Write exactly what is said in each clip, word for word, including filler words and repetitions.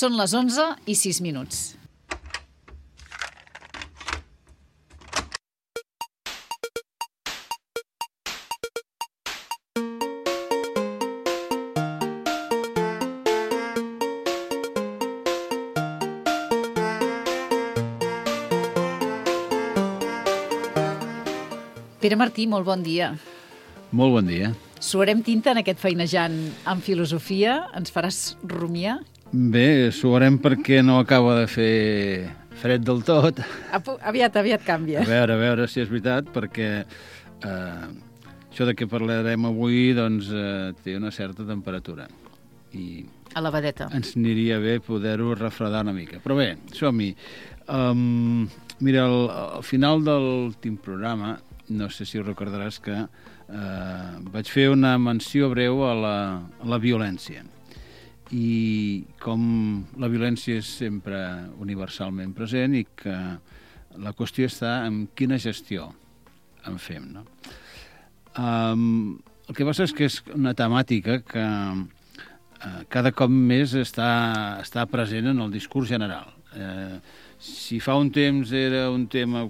Són les onze i sis minuts. Pere Martí, molt bon dia. Molt bon dia. Suarem tinta en aquest feinejant en filosofia? Ens faràs rumiar? Bé, suarem perquè no acaba de fer fred del tot. Aviat, aviat canvia. A veure, a veure si és veritat, perquè eh, això de què parlarem avui doncs, eh, té una certa temperatura. I a la vedeta. Ens aniria bé poder-ho refredar una mica. Però bé, som-hi. Um, mira, al, al final de l'últim programa, no sé si ho recordaràs que eh, vaig fer una menció breu a la, a la violència. I com la violència és sempre universalment present i que la qüestió està en quina gestió en fem, no? Um, el que passa és que és una temàtica que uh, cada cop més està, està present en el discurs general. Eh, si fa un temps era un tema,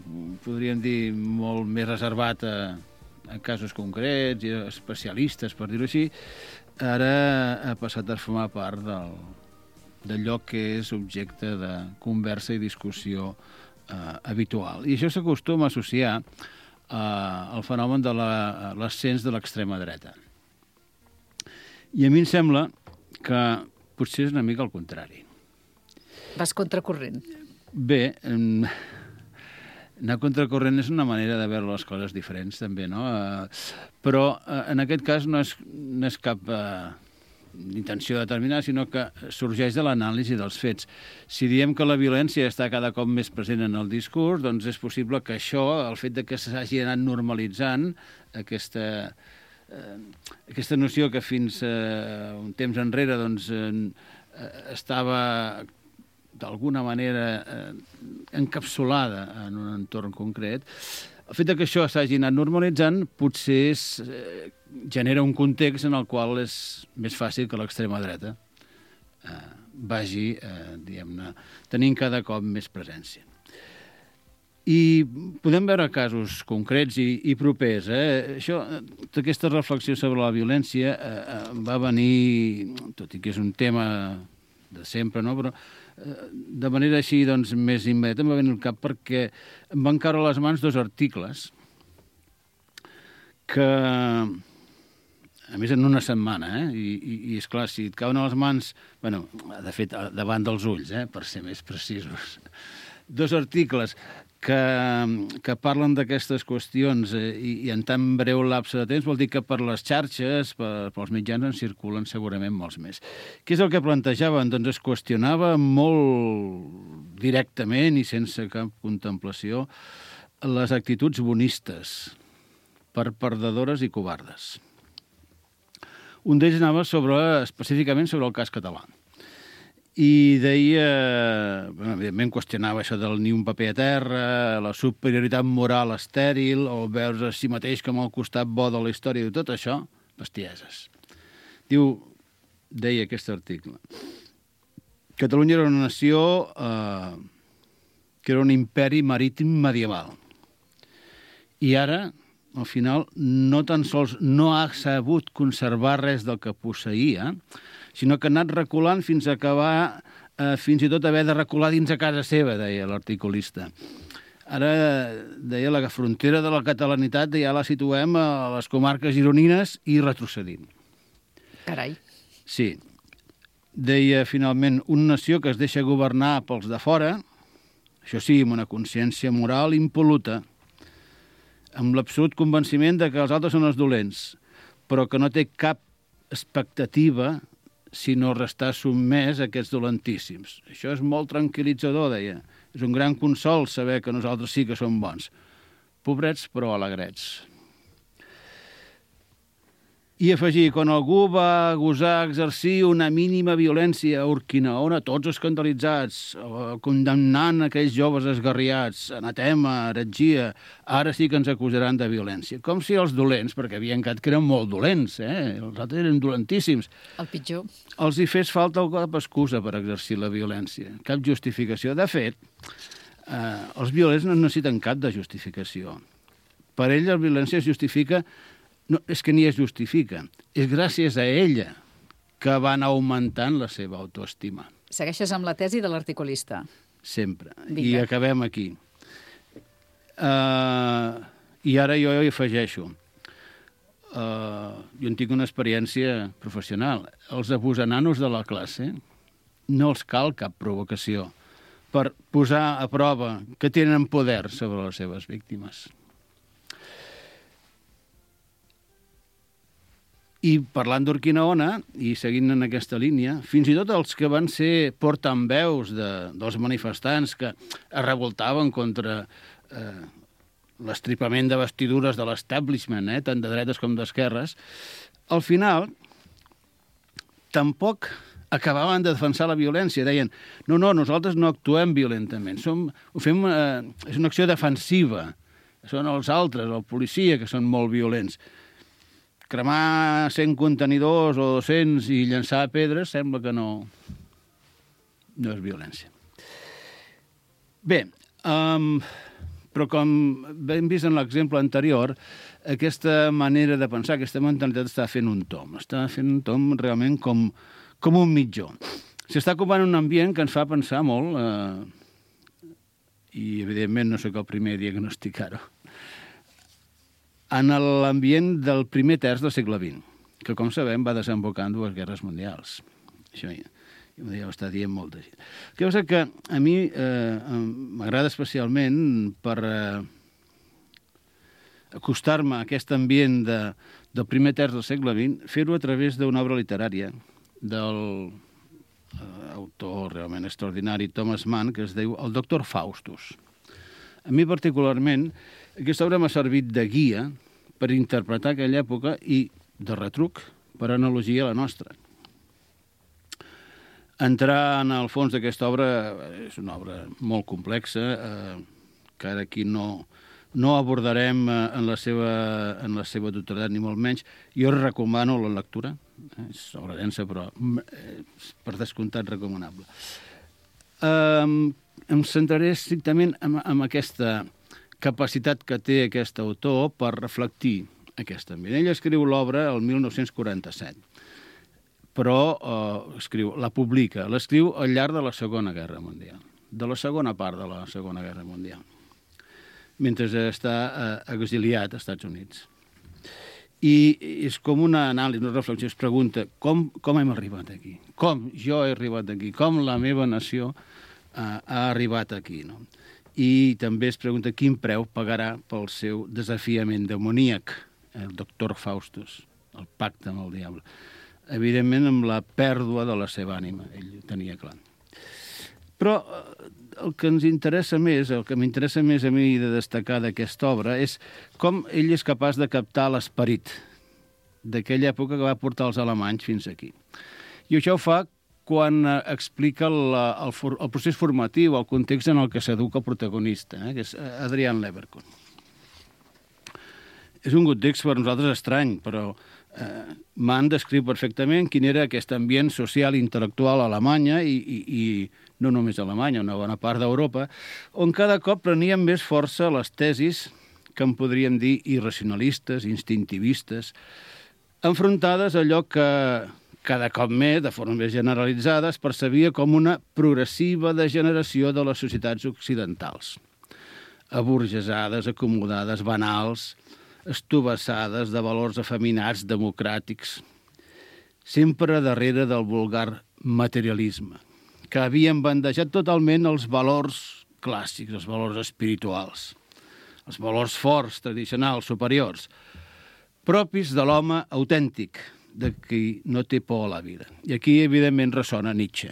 podríem dir, molt més reservat a, a casos concrets i a especialistes, per dir-ho així, ara ha passat a formar part del, d'allò que és objecte de conversa i discussió eh, habitual. I això s'acostuma a associar eh, al fenomen de la, l'ascens de l'extrema dreta. I a mi em sembla que potser és una mica al contrari. Vas contracorrent. Bé, anar contracorrent és una manera de veure les coses diferents, també, no? Però en aquest cas no és, no és cap eh, intenció determinada, sinó que sorgeix de l'anàlisi dels fets. Si diem que la violència està cada cop més present en el discurs, doncs és possible que això, el fet de que s'hagi anat normalitzant aquesta, eh, aquesta noció que fins eh, un temps enrere doncs, eh, estava d'alguna manera eh, encapsulada en un entorn concret, el fet que això s'hagi anat normalitzant potser és, eh, genera un context en el qual és més fàcil que l'extrema dreta eh, vagi, eh, diguem-ne, tenint cada cop més presència. I podem veure casos concrets i, i propers. Eh? Això, aquesta reflexió sobre la violència eh, va venir, tot i que és un tema de sempre, no? Però de manera així doncs, més immediata em va venir al cap perquè em van caure a les mans dos articles que, a més, en una setmana, eh? I, i, i esclar, si et cauen a les mans, bueno, de fet, davant dels ulls, eh? Per ser més precisos, dos articles que, que parlen d'aquestes qüestions eh, i, i en tan breu lapse de temps vol dir que per les xarxes, per, pels mitjans, en circulen segurament molts més. Què és el que plantejaven? Doncs es qüestionava molt directament i sense cap contemplació les actituds bonistes per perdedores i covardes. Un d'ells anava sobre, específicament sobre el cas català. I deia, bueno, evidentment qüestionava això del ni un paper a terra, la superioritat moral estèril, o veure a si mateix com el costat bo de la història, i tot això, bestieses. Diu, deia aquest article, Catalunya era una nació eh, que era un imperi marítim medieval. I ara, al final, no tan sols no ha sabut conservar res del que posseïa, sinó que ha anat reculant fins a acabar, eh, fins i tot haver de recular dins a casa seva, deia l'articulista. Ara, deia, la frontera de la catalanitat ja la situem a les comarques gironines i retrocedint. Carai. Sí. Deia, finalment, una nació que es deixa governar pels de fora, això sí, amb una consciència moral impol·luta, amb l'absolut convenciment de que els altres són els dolents, però que no té cap expectativa sinó restar sotmès a aquests dolentíssims. Això és molt tranquil·litzador, deia. És un gran consol saber que nosaltres sí que som bons. Pobrets, però alegrets. I afegir, quan algú va gosar exercir una mínima violència a Urquinaona, tots escandalitzats, condemnant aquells joves esgarriats, anatema, heretgia, ara sí que ens acusaran de violència. Com si els dolents, perquè havien quedat que eren molt dolents, eh? Els altres eren dolentíssims. El pitjor. Els hi fes falta cap excusa per exercir la violència, cap justificació. De fet, eh, els violents no necessiten cap de justificació. Per ell la violència es justifica. No, és que ni es justifica. És gràcies a ella que van augmentant la seva autoestima. Segueixes amb la tesi de l'articulista. Sempre. Vinga. I acabem aquí. Uh, I ara jo hi afegeixo. Uh, jo en tinc una experiència professional. Els abusananos de la classe no els cal cap provocació per posar a prova que tenen poder sobre les seves víctimes. I parlant d'Urquinaona, i seguint en aquesta línia, fins i tot els que van ser portaveus de, dels manifestants que es revoltaven contra eh, l'estripament de vestidures de l'establishment, eh, tant de dretes com d'esquerres, al final tampoc acabaven de defensar la violència. Deien, no, no, nosaltres no actuem violentament, som, ho fem, eh, és una acció defensiva, són els altres, el policia, que són molt violents. Cremar cent contenidors o dos-cents i llançar pedres sembla que no, no és violència. Bé, um, però com hem vist en l'exemple anterior, aquesta manera de pensar, aquesta mentalitat està fent un tom. Està fent un tom realment com, com un mitjó. S'està ocupant un ambient que ens fa pensar molt, eh, i evidentment no sóc el primer a diagnosticar-ho, en l'ambient del primer terç del segle vint, que, com sabem, va desembocar en dues guerres mundials. Això ja, ja ho està dient molta gent. El que passa que a mi eh, m'agrada especialment per eh, acostar-me a aquest ambient de, del primer terç del segle vint, fer-ho a través d'una obra literària del eh, autor realment extraordinari Thomas Mann, que es diu El doctor Faustus. A mi particularment, aquesta obra m'ha servit de guia per interpretar aquella època i de retruc per analogia a la nostra. Entrar en el fons d'aquesta obra és una obra molt complexa, eh, que ara aquí no, no abordarem en la seva, en la seva totalitat, ni molt menys. Jo recomano la lectura, és obra densa, però és per descomptat recomanable. Eh, em centraré estrictament en, en aquesta capacitat que té aquest autor per reflectir aquest ambient. Ell escriu l'obra el mil nou-cents quaranta-set, però eh, escriu, la publica, l'escriu al llarg de la Segona Guerra Mundial, de la segona part de la Segona Guerra Mundial, mentre està eh, exiliat als Estats Units. I és com una anàlisi, una reflexió, es pregunta com, com hem arribat aquí? Com jo he arribat aquí? Com la meva nació eh, ha arribat aquí, no? I també es pregunta quin preu pagarà pel seu desafiament demoníac, el doctor Faustus, el pacte amb el diable. Evidentment, amb la pèrdua de la seva ànima, ell ho tenia clar. Però el que ens interessa més, el que m'interessa més a mi de destacar d'aquesta obra és com ell és capaç de captar l'esperit d'aquella època que va portar els alemanys fins aquí. I això ho fa quan explica el, el, el procés formatiu, el context en el que s'educa el protagonista, eh, que és Adrian Leverkühn. És un context per nosaltres estrany, però eh, Mann descriu perfectament quin era aquest ambient social i intel·lectual a Alemanya i, i, i no només a Alemanya, una bona part d'Europa, on cada cop prenien més força les tesis que en podríem dir irracionalistes, instintivistes, enfrontades a allò que cada cop més, de forma més generalitzada, es percebia com una progressiva degeneració de les societats occidentals. Aburgesades, acomodades, banals, estovassades de valors afeminats democràtics, sempre darrere del vulgar materialisme, que havien bandejat totalment els valors clàssics, els valors espirituals, els valors forts, tradicionals, superiors, propis de l'home autèntic, de qui no té por a la vida. I aquí, evidentment, ressona Nietzsche.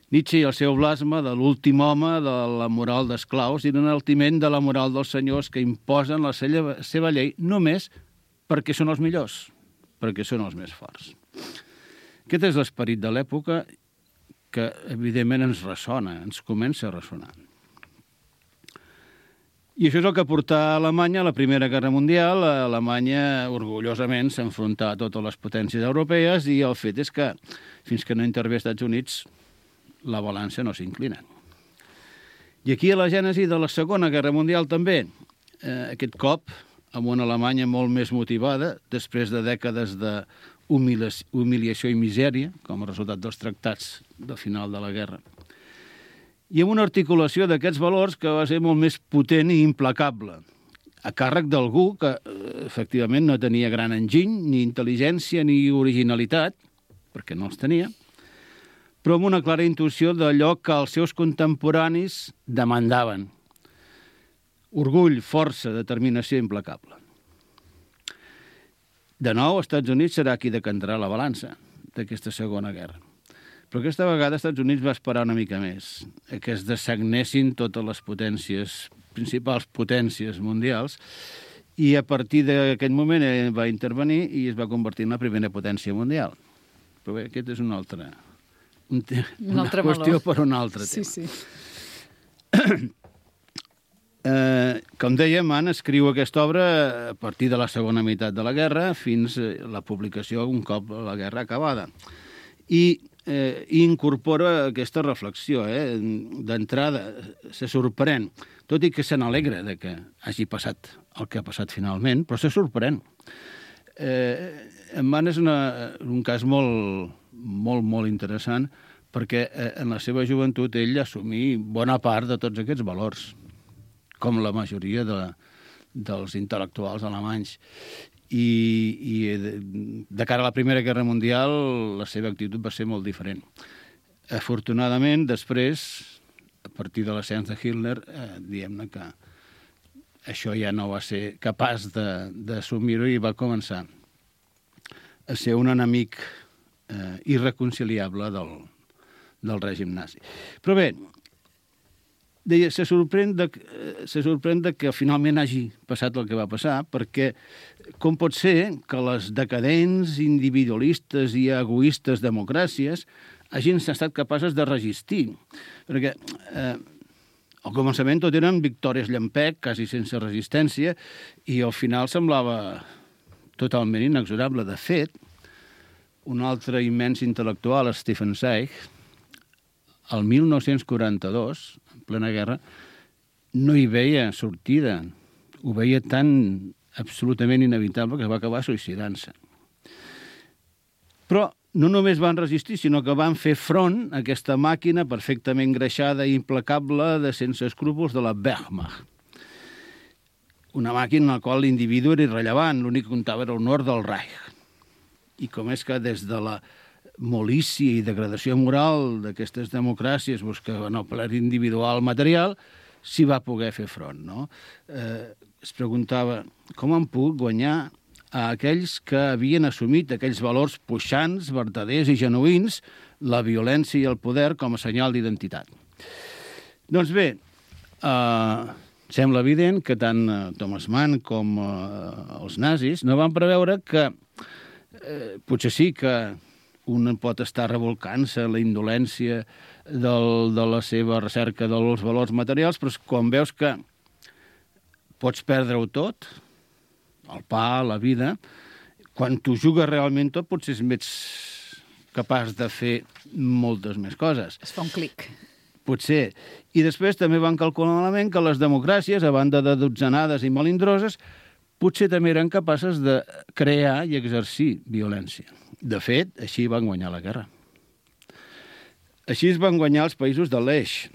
Nietzsche i el seu blasma de l'últim home, de la moral d'esclaus i l'enaltiment de la moral dels senyors que imposen la seva llei només perquè són els millors, perquè són els més forts. Aquest és l'esperit de l'època que, evidentment, ens ressona, ens comença a ressonar. I això és el que portà a Alemanya a la Primera Guerra Mundial. Alemanya, orgullosament, s'enfrontà a totes les potències europees i el fet és que, fins que no intervé als Estats Units, la balança no s'inclina. I aquí a la gènesi de la Segona Guerra Mundial també, eh, aquest cop, amb una Alemanya molt més motivada, després de dècades d'humiliació i misèria, com a resultat dels tractats del final de la guerra, i amb una articulació d'aquests valors que va ser molt més potent i implacable, a càrrec d'algú que, efectivament, no tenia gran enginy, ni intel·ligència, ni originalitat, perquè no els tenia, però amb una clara intuïció d'allò que els seus contemporanis demandaven. Orgull, força, determinació implacable. De nou, els Estats Units serà qui decantarà la balança d'aquesta Segona Guerra. Però aquesta vegada els Estats Units va esperar una mica més, que es dessagnessin totes les potències, principals potències mundials, i a partir d'aquest moment va intervenir i es va convertir en la primera potència mundial. Però bé, aquest és un altre, un te, una altre qüestió valor. per un altre Sí, tema. sí. Eh, com dèiem, Mann escriu aquesta obra a partir de la segona meitat de la guerra fins a la publicació un cop la guerra acabada. I eh, incorpora aquesta reflexió. Eh? D'entrada, se sorprèn, tot i que se n'alegra de que hagi passat el que ha passat finalment, però se sorprèn. Eh, en Mann és una, un cas molt, molt, molt interessant perquè eh, en la seva joventut ell assumí bona part de tots aquests valors, com la majoria de, dels intel·lectuals alemanys. I, i de, de cara a la Primera Guerra Mundial, la seva actitud va ser molt diferent. Afortunadament, després, a partir de l'ascens de Hitler, eh, diguem-ne que això ja no va ser capaç d'assumir-ho i va començar a ser un enemic eh, irreconciliable del, del règim nazi. Però bé, deia, se sorprèn, de, se sorprèn de que finalment hagi passat el que va passar, perquè com pot ser que les decadents, individualistes i egoistes democràcies hagin estat capaces de resistir? Perquè eh, al començament tot eren victòries llampec, quasi sense resistència, i al final semblava totalment inexorable. De fet, un altre immens intel·lectual, Stefan Zweig, el mil nou-cents quaranta-dos, en plena guerra, no hi veia sortida. Ho veia tan absolutament inevitable que va acabar suïcidant-se. Però no només van resistir, sinó que van fer front a aquesta màquina perfectament greixada i implacable de sense escrúpols de la Wehrmacht. Una màquina en la qual l'individu era irrellevant, l'únic que comptava era l'honor del Reich. I com és que des de la molícia i degradació moral d'aquestes democràcies buscaven el plaer individual material, s'hi va poder fer front, no? Eh, es preguntava com han pogut guanyar a aquells que havien assumit aquells valors puixants, verdaders i genuïns, la violència i el poder com a senyal d'identitat. Doncs bé, eh, sembla evident que tant eh, Thomas Mann com eh, els nazis no van preveure que eh, potser sí que un pot estar revolcant-se la indolència del, de la seva recerca dels valors materials, però quan veus que pots perdre-ho tot, el pa, la vida, quan t'ho jugues realment tot, potser ets capaç de fer moltes més coses. Es fa un clic. Potser. I després també van calcular malament que les democràcies, a banda de dotzenades i melindroses, potser també eren capaces de crear i exercir violència. De fet, així van guanyar la guerra. Així es van guanyar els països de l'Eix,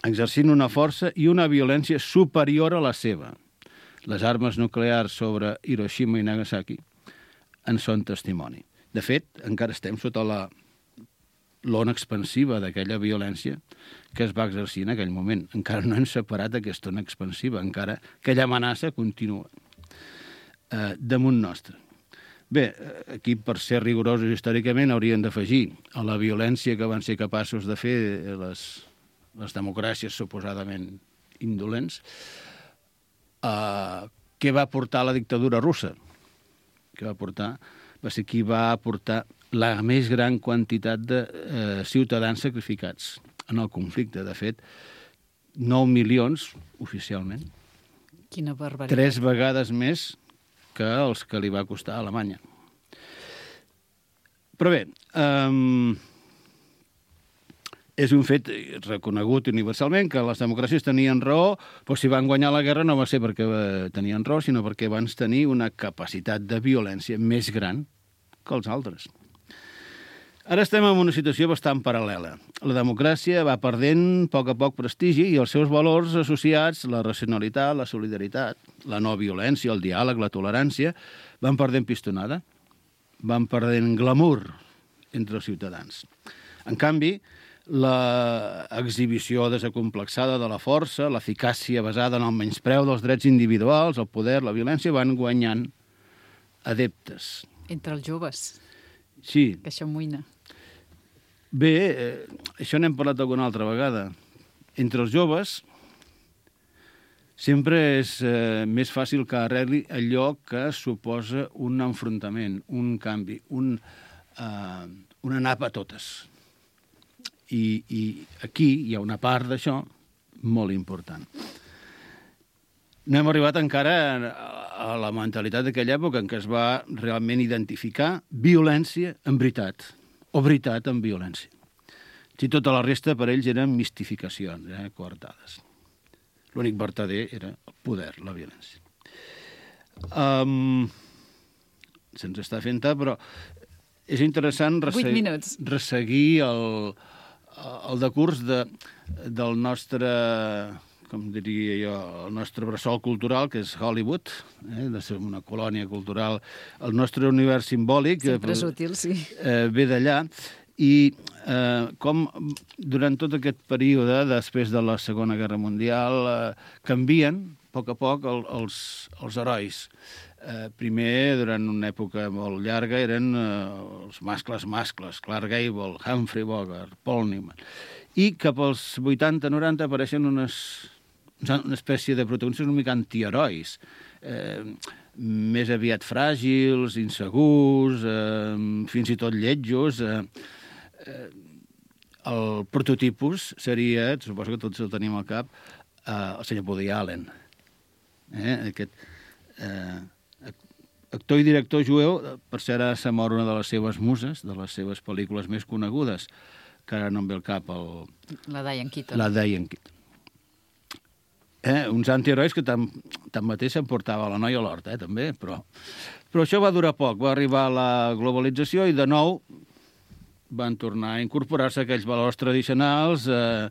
exercint una força i una violència superior a la seva. Les armes nuclears sobre Hiroshima i Nagasaki en són testimoni. De fet, encara estem sota la l'ona expansiva d'aquella violència que es va exercir en aquell moment. Encara no hem separat aquesta ona expansiva, encara aquella amenaça continua eh, damunt nostre. Bé, aquí, per ser rigorosos històricament, haurien d'afegir a la violència que van ser capaços de fer les, les democràcies suposadament indolents, eh, què va portar la dictadura russa, que va portar, va ser qui va aportar la més gran quantitat de eh, ciutadans sacrificats en el conflicte. De fet, nou milions, oficialment. Quina barbaritat. Tres vegades més que els que li va costar a Alemanya. Però bé, um, és un fet reconegut universalment que les democràcies tenien raó, però si van guanyar la guerra no va ser perquè tenien raó, sinó perquè van tenir una capacitat de violència més gran que els altres. Ara estem en una situació bastant paral·lela. La democràcia va perdent a poc a poc prestigi i els seus valors associats, la racionalitat, la solidaritat, la no violència, el diàleg, la tolerància, van perdent pistonada, van perdent glamour entre els ciutadans. En canvi, l'exhibició desacomplexada de la força, l'eficàcia basada en el menyspreu dels drets individuals, el poder, la violència, van guanyant adeptes. Entre els joves. Sí. Que això amoïna. Bé, eh, això n'hem parlat alguna altra vegada. Entre els joves sempre és eh, més fàcil que arregli allò que suposa un enfrontament, un canvi, un, eh, una nap a totes. I, I aquí hi ha una part d'això molt important. No hem arribat encara a la mentalitat d'aquella època en què es va realment identificar violència en veritat, o veritat en violència. Si tota la resta per ells eren mistificacions, eh, coartades. L'únic vertader era el poder, la violència. Um, Se'ns està fent tard, però és interessant resseguir, resseguir el, el decurs de, del nostre, com diria jo, el nostre bressol cultural, que és Hollywood, eh, de ser una colònia cultural. El nostre univers simbòlic sempre és útil, sí. eh, ve d'allà. I eh, com durant tot aquest període, després de la Segona Guerra Mundial, eh, canvien, a poc a poc, el, els, els herois. Eh, primer, durant una època molt llarga, eren eh, els mascles mascles, Clark Gable, Humphrey Bogart, Paul Newman. I cap als vuitanta noranta apareixen unes, una espècie de protagonistes una mica antiherois, eh, més aviat fràgils, insegurs, eh, fins i tot lletjos. Eh, eh, el prototipus seria, suposo que tots el tenim al cap, eh, el senyor Woody Allen. Eh, aquest eh, actor i director jueu, per cert, ara s'ha mort una de les seves muses, de les seves pel·lícules més conegudes, que ara no em ve al cap el... La Diane Keaton. La Diane Keaton. Eh, uns antiherois que tan, tanmateix s'emportava la noia a l'hort, eh, també, però... Però això va durar poc, va arribar la globalització i de nou van tornar a incorporar-se aquells valors tradicionals, eh,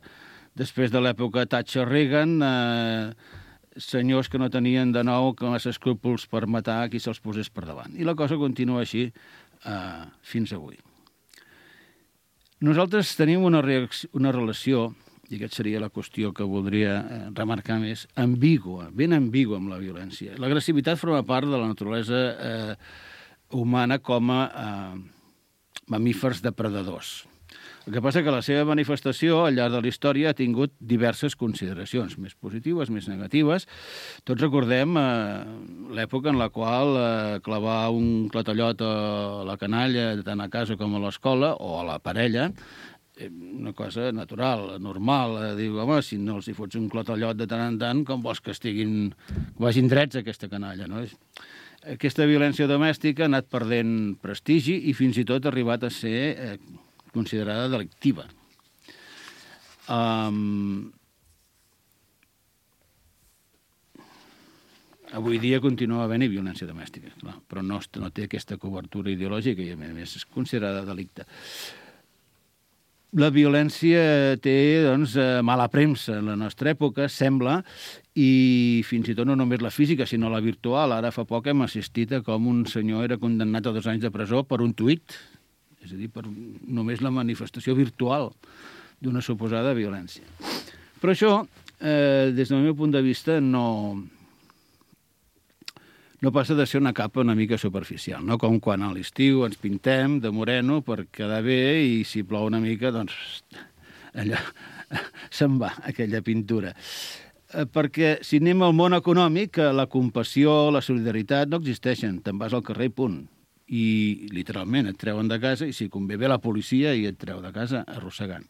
després de l'època Thatcher-Reagan, eh, senyors que no tenien de nou massa escrúpols per matar qui se'ls posés per davant. I la cosa continua així eh, fins avui. Nosaltres tenim una, una relació, i aquesta seria la qüestió que voldria eh, remarcar més, ambigua, ben ambigua amb la violència. L'agressivitat forma part de la naturalesa eh, humana com a eh, mamífers depredadors. El que passa que la seva manifestació al llarg de la història ha tingut diverses consideracions, més positives, més negatives. Tots recordem eh, l'època en la qual eh, clavar un clatallot a la canalla, tant a casa com a l'escola, o a la parella, eh, una cosa natural, normal. Eh, diu, home, si no els hi fots un clatallot de tant en tant, com vols que estiguin, que vagin drets aquesta canalla, no? Aquesta violència domèstica ha anat perdent prestigi i fins i tot ha arribat a ser... Eh, considerada delictiva. Um, avui dia continua havent-hi violència domèstica, clar, però no, no té aquesta cobertura ideològica i, a més, és considerada delicte. La violència té, doncs, mala premsa en la nostra època, sembla, i fins i tot no només la física, sinó la virtual. Ara fa poc hem assistit a com un senyor era condemnat a dos anys de presó per un tuit, és a dir, per només la manifestació virtual d'una suposada violència. Però això, eh, des del meu punt de vista, no, no passa de ser una capa una mica superficial, no? Com quan a l'estiu ens pintem de moreno per quedar bé i si plou una mica, doncs allò se'n va, aquella pintura. Eh, perquè si anem al món econòmic, eh, la compassió, la solidaritat no existeixen. Te'n vas al carrer i punt. I, literalment, et treuen de casa i si convé ve la policia i et treu de casa arrossegant.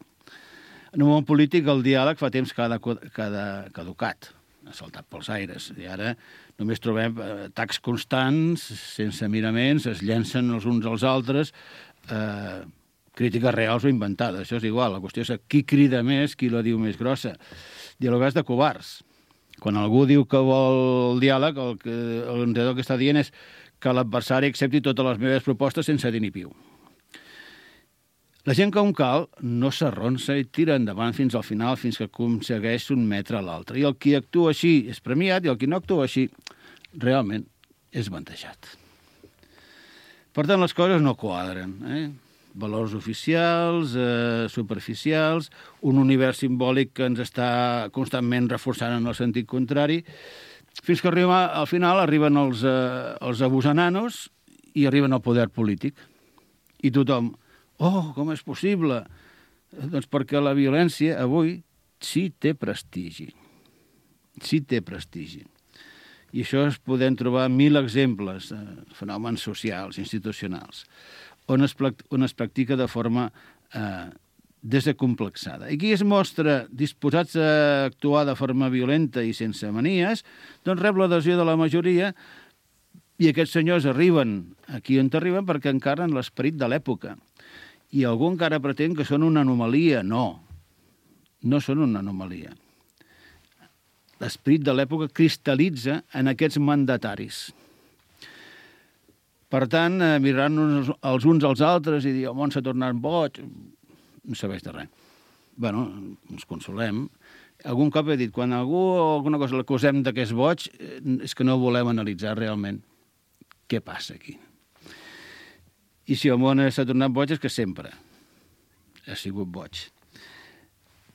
En un món polític el diàleg fa temps que ha, de, que ha de, caducat, ha saltat pels aires. I ara només trobem atacs constants, sense miraments, es llencen els uns als altres, eh, crítiques reals o inventades. Això és igual, la qüestió és qui crida més, qui la diu més grossa. Dialogar és de covards. Quan algú diu que vol el diàleg, el que, el que està dient és que l'adversari accepti totes les meves propostes sense dir ni piu. La gent com cal no s'arronsa i tira endavant fins al final, fins que aconsegueix un metre a l'altre. I el qui actua així és premiat i el qui no actua així realment és bandejat. Per tant, les coses no quadren. Eh? Valors oficials, eh, superficials, un univers simbòlic que ens està constantment reforçant en el sentit contrari, fins que arriba, al final arriben els, eh, els abusananos i arriben al poder polític. I tothom... Oh, com és possible? Doncs perquè la violència avui sí té prestigi. Sí té prestigi. I això es podem trobar mil exemples, eh, fenòmens socials, institucionals, on es, on es practica de forma eh, desacomplexada. I qui es mostra disposats a actuar de forma violenta i sense manies, doncs rep l'adhesió de la majoria i aquests senyors arriben aquí on arriben perquè encarnen l'esperit de l'època. I algú encara pretén que són una anomalia. No, no són una anomalia. L'esperit de l'època cristal·litza en aquests mandataris. Per tant, eh, mirant-nos els uns als altres i dir el món s'ha tornat boig, no serveix de res. Bé, ens consolem. Algun cop he dit, quan algú o alguna cosa l'acusem de que és boig, és que no volem analitzar realment què passa aquí. I si el món s'ha tornat boig és que sempre ha sigut boig.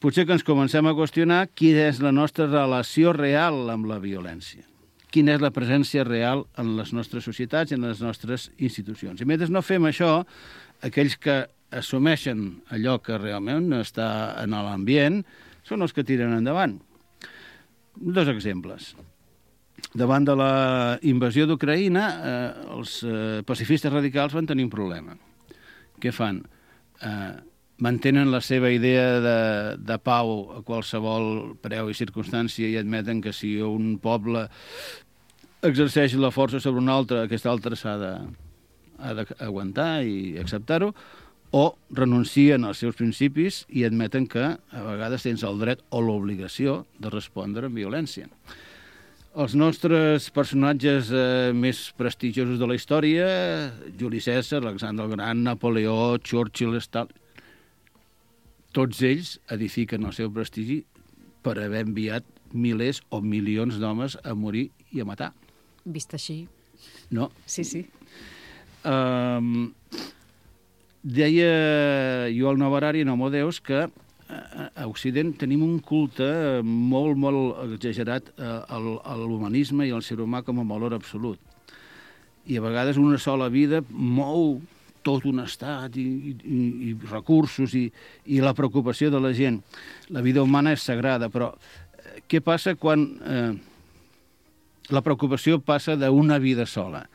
Potser que ens comencem a qüestionar quina és la nostra relació real amb la violència. Quina és la presència real en les nostres societats i en les nostres institucions. I mentre no fem això, aquells que assumeixen allò que realment està en l'ambient són els que tiren endavant. Dos exemples. Davant de la invasió d'Ucraïna, eh, els eh, pacifistes radicals van tenir un problema. Què fan? Eh, mantenen la seva idea de, de pau a qualsevol preu i circumstància i admeten que si un poble exerceix la força sobre un altre, aquest altre s'ha de, ha d'aguantar i acceptar-ho, o renuncien als seus principis i admeten que a vegades tens el dret o l'obligació de respondre amb violència. Els nostres personatges eh, més prestigiosos de la història, Juli Cèsar, Alexandre el Gran, Napoleó, Churchill, Stalin, tots ells edifiquen el seu prestigi per haver enviat milers o milions d'homes a morir i a matar. Vist així. No? Sí, sí. Um, deia Yuval Noah Harari en Homo Deus que a Occident tenim un culte molt, molt exagerat a l'humanisme i al ser humà com a valor absolut. I a vegades una sola vida mou tot un estat i, i, i recursos i, i la preocupació de la gent. La vida humana és sagrada, però què passa quan eh, la preocupació passa d'una vida sola?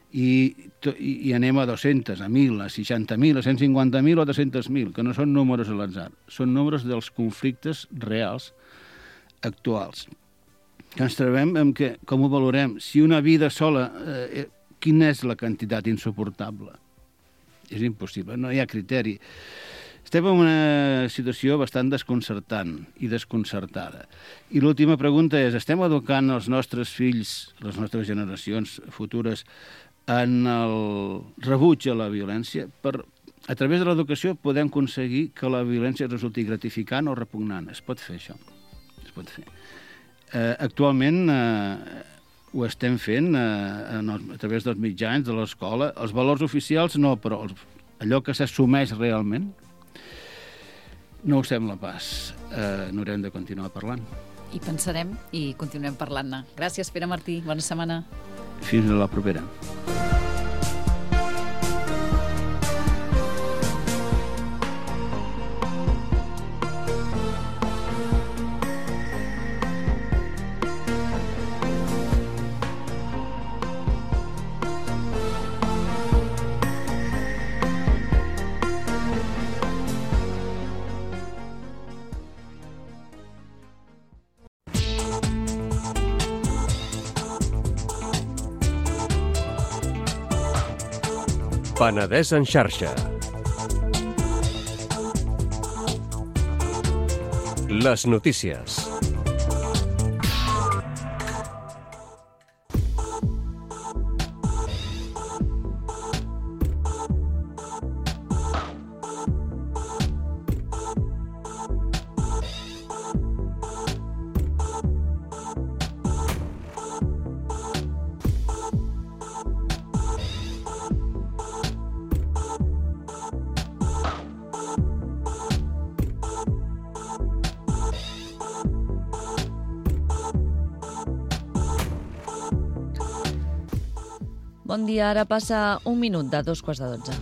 I, i anem a dos-centes, a mil, a seixanta mil, a cent cinquanta mil o a tres-cents mil, que no són números a l'atzar, són números dels conflictes reals actuals. Que ens trobem amb que, com ho valorem, si una vida sola, eh, quina és la quantitat insuportable? És impossible, no hi ha criteri. Estem en una situació bastant desconcertant i desconcertada. I l'última pregunta és, estem educant els nostres fills, les nostres generacions futures, en el rebuig a la violència? Per, a través de l'educació podem aconseguir que la violència resulti gratificant o repugnant. Es pot fer, això. Es pot fer. Eh, actualment eh, ho estem fent eh, en el, a través dels mitjans, de l'escola. Els valors oficials no, però els, allò que s'assumeix realment no ho sembla pas. Eh, N'haurem de continuar parlant. I pensarem i continuem parlant-ne. Gràcies, Pere Martí. Bona setmana. Fins a la propera. Penedès en xarxa. Les notícies. Bon dia, ara passa un minut de dos quarts de dotze.